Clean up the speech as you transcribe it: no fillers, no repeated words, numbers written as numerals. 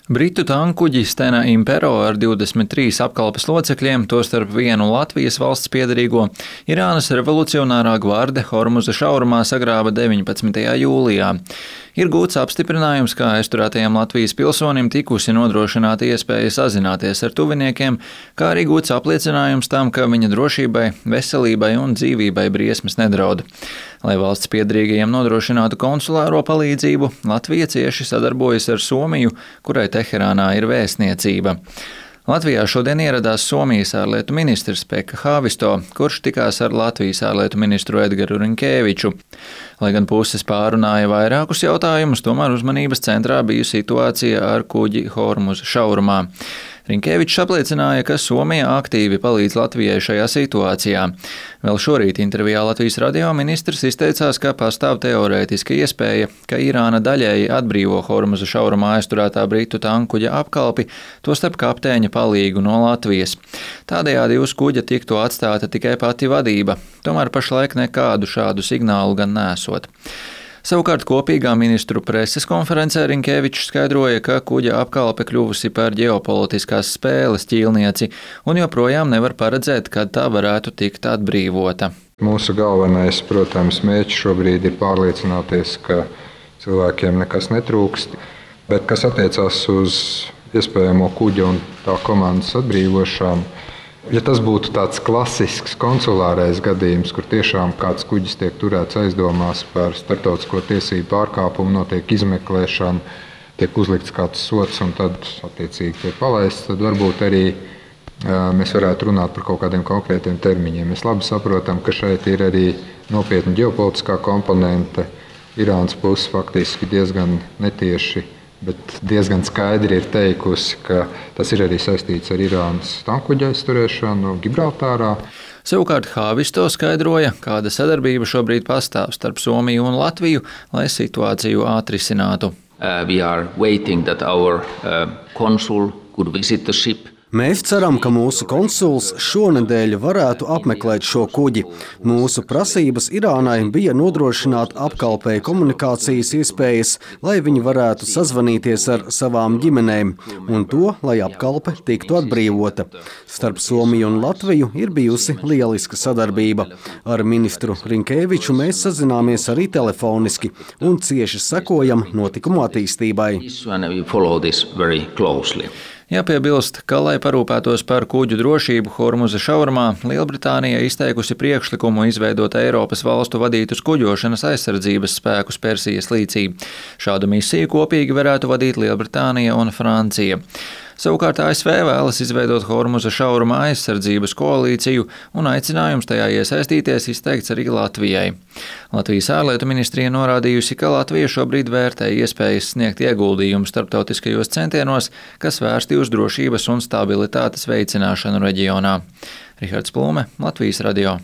Britu tankkuģi Stena Impero ar 23 apkalpes locekļiem, tostarp vienu Latvijas valsts piederīgo, Irānas revolucionārā gvarde Hormuza šaurumā sagrāva 19. jūlijā. Ir gūts apstiprinājums, ka aizturētajam Latvijas pilsonim tikusi nodrošināta iespēja sazināties ar tuviniekiem, kā arī gūts apliecinājums tam, ka viņa drošībai, veselībai un dzīvībai briesmas nedraud. Lai valsts piederīgajiem nodrošinātu konsulāro palīdzību, Latvija cieši sadarbojas ar Somiju, kurai Teherānā ir vēstniecība. Latvijā šodien ieradās Somijas ārlietu ministrs Pekka Haavisto, kurš tikās ar Latvijas ārlietu ministru Edgaru Rinkēviču. Lai gan puses pārunāja vairākus jautājumus, tomēr uzmanības centrā bija situācija ar kuģi Hormuza šaurumā. Rinkēvičs apliecināja, ka Somija aktīvi palīdz Latvijai šajā situācijā. Vēl šorīt intervijā Latvijas radio ministrs izteicās, ka pastāv teorētiska iespēja, ka Irāna daļēji atbrīvo Hormuza šaurumā aizturētā britu tankkuģa apkalpi, tostarp kapteiņa palīgu no Latvijas. Tādējādi uz kuģa tiktu atstāta tikai pati vadība, tomēr pašlaik nekādu šādu signālu gan nesot. Savukārt kopīgā ministru preses konferencē Rinkēvičs skaidroja, ka kuģa apkalpe kļuvusi par ģeopolitiskās spēles ķīlnieci un joprojām nevar paredzēt, kad tā varētu tikt atbrīvota. Mūsu galvenais, protams, mērķis šobrīd ir pārliecināties, ka cilvēkiem nekas netrūkst, bet kas attiecās uz iespējamo kuģa un tā komandas atbrīvošanu, ja tas būtu tāds klasisks konsulārais gadījums, kur tiešām kāds kuģis tiek turēts aizdomās par starptautisko tiesību pārkāpumu, notiek izmeklēšana, tiek uzlikts kāds sods un tad attiecīgi tiek palaists, tad varbūt arī mēs varētu runāt par kaut kādiem konkrētiem termiņiem. Mēs labi saprotam, ka šeit ir arī nopietna ģeopolitiskā komponente. Irānas puse faktiski diezgan netieši, bet diezgan skaidri ir teikusi, ka tas ir arī saistīts ar Irānas tankkuģa aizturēšanu Gibraltārā. Savukārt Haavisto skaidroja, kāda sadarbība šobrīd pastāv starp Somiju un Latviju, lai situāciju atrisinātu. We are waiting that our consul could visit the ship. Mēs ceram, ka mūsu konsuls šonedēļ varētu apmeklēt šo kuģi. Mūsu prasības Irānai bija nodrošināt apkalpei komunikācijas iespējas, lai viņi varētu sazvanīties ar savām ģimenēm, un to, lai apkalpe tiktu atbrīvota. Starp Somiju un Latviju ir bijusi lieliska sadarbība. Ar ministru Rinkēviču mēs sazināmies arī telefoniski un cieši sekojam notikumu attīstībai. Jāpiebilst, ka, lai parūpētos par kuģu drošību Hormuza šaurumā, Lielbritānija izteikusi priekšlikumu izveidot Eiropas valstu vadītus kuģošanas aizsardzības spēkus Persijas līcī. Šādu misiju kopīgi varētu vadīt Lielbritānija un Francija. Savukārt ASV vēlas izveidot Hormuza šauruma aizsardzības koalīciju un aicinājums tajā iesaistīties izteikts arī Latvijai. Latvijas ārlietu ministrija norādījusi, ka Latvija šobrīd vērtē iespējas sniegt ieguldījumu starptautiskajos centienos, kas vērsti uz drošības un stabilitātes veicināšanu reģionā. Rihards Plūme, Latvijas radio.